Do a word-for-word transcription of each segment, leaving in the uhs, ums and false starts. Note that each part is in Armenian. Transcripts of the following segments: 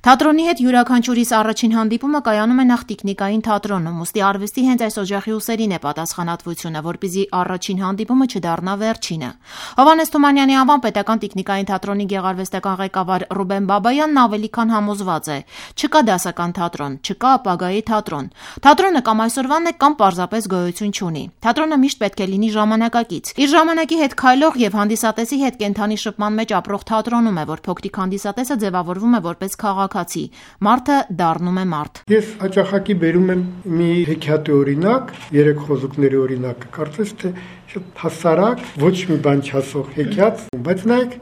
Թատրոնի հետ յուրաքանչյուրիս առաջին հանդիպումը կայանում է նախ տիկնիկային թատրոնում, ուստի արվեստի հենց այս օջախի ուսերին է պատասխանատվությունը, որպեսզի առաջին հանդիպումը չդառնա վերջինը։ Հովհաննես Թումանյանի անվան պետական տիկնիկային թատրոնի գեղարվեստական ղեկավար Ռուբեն Բաբայանն ավելի քան համոզված է՝ չկա դասական թատրոն, չկա ապագայի թատրոն։ Թատրոնը կամ այսօրվանն է, կամ պարզապես գոյություն չունի։ Թատրոնը միշտ պետք է լինի ժամանակակից։ Իր ժամանակի հետ քայլող եւ հանդիսատեսի հետ կենդանի շփման մեջ ապրող թատրոնում է, որ փոքրիկ հանդիսատեսը ձևավորվում է որպես քաղաքացի։ Մարդը դառնում է մարդ։ Ես հաճախակի բերում եմ մի հեքիաթի օրինակ, երեք խոզուկների օրինակ, կարծես թե շատ հասարակ, ոչ մի բան չասող հեքիաթ, բայց նայեք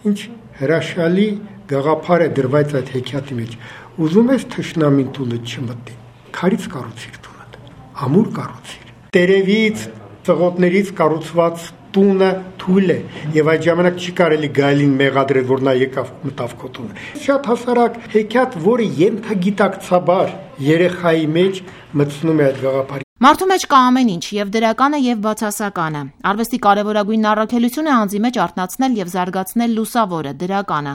ինչ հրաշալի գաղափար է դրված այդ հեքիաթի մեջ։ Ուզում ես թշնամին տունդ չմտնի, քարից կառուցիր տունդ, ամուր կառուցիր։ Տերևից, ծղոտներից կառուցված տունը թույլ է եւ այդ ժամանակ չի կարելի գայլին մեղադրել, որ նա եկավ մտավ քո տունը։ Շատ հասարակ հեքիաթ, որը ենթագիտակցաբար երեխայի մեջ մտցնում է այդ գաղափարը։ Մարդու մեջ կա ամեն ինչ, եւ դրականը, եւ բացասականը։ Արվեստի կարևորագույն առաքելությունը անձի մեջ արթնացնել եւ զարգացնել լուսավորը, դրականը։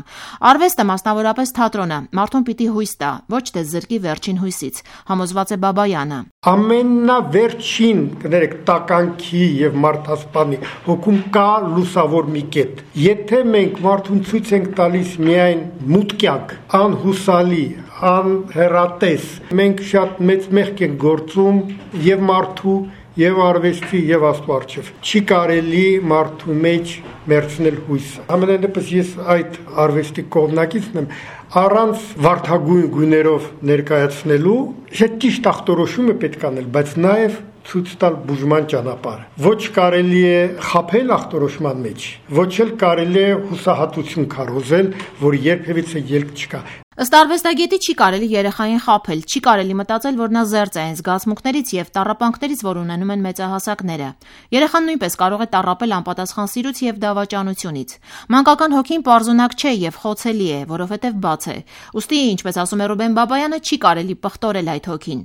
Արվեստը, մասնավորապես թատրոնը, մարդուն պիտի հույս տա, ոչ թե զրկի վերջին հույսից, համոզված է Բաբայանը։ Ամենավերջին, կներեք, տականքի եւ մարդասպանի հոգում կա լուսավոր մի կետ։ Եթե մենք մարդուն ցույց ենք տալիս միայն մութ կյանք, անհուսալի, անհեռատես, մենք շատ մեծ մեղք ենք գործում եւ մարդու, եւ արվեստի, եւ Աստծո առջեւ։ Չի կարելի մարդու մեջ մերցնել հույսը։ Ամենայնիվս ես այդ արվեստի կողմնակիցն եմ, առանց վարդագույն գույներով ներկայացնելու շատ ճիշտ ախտորոշում է պետք անել, բայց նաեւ ցույց տալ բուժման ճանապարհը։ Ոչ կարելի է խաբել ախտորոշման մեջ, ոչ էլ կարելի է հուսահատություն քարոզել, որ երբևիցե ելք չկա։ Ըստ արվեստագետի չի կարելի երեխային խաբել, չի կարելի մտածել, որ նա զերծ է այն զգացմունքներից եւ տառապանքներից, որ ունենում են մեծահասակները։ Երեխան նույնպես կարող է տառապել անպատասխան սիրուց եւ դավաճանությունից։ Մանկական հոգին պարզունակ չէ եւ խոցելի է, որովհետեւ բաց է։ Ուստի, ինչպես ասում է Ռուբեն Բաբայանը, չի կարելի պղտորել այդ հոգին։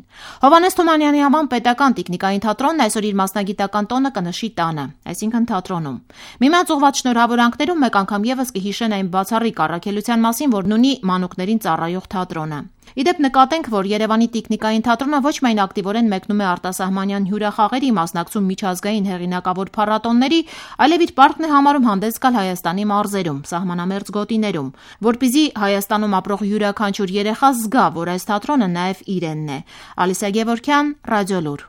Հովհաննես Թումանյանի անվան պետական տիկնիկային թատրոնն այսօր իր մասնագիտական տոնը կնշի տանը, այսինքն թատրոնում։ Միմյանց ուղղված շնորհավորանքներում մեկ անգամ եւս կհիշեն այն բացառիկ առաքելության մասին, որն ունի մանուկներին ծառայող թատրոնը։ Իդեպ նկատենք, որ Երևանի տիկնիկային թատրոնը ոչ միայն ակտիվորեն մեկնում է արտասահմանյան հյուրախաղերի, մասնակցում միջազգային հեղինակավոր փառատոնների, այլև իր պարտքն է համարում հանդես գալ Հայաստանի մարզերում, սահմանամերձ գոտիներում, որպեսզի Հայաստանում ապրող յուրաքանչյուր երեխա զգա, որ այս թատրոնը նաև իրենն է։ Ալիսա Գևորգյան, Ռադիոլուր։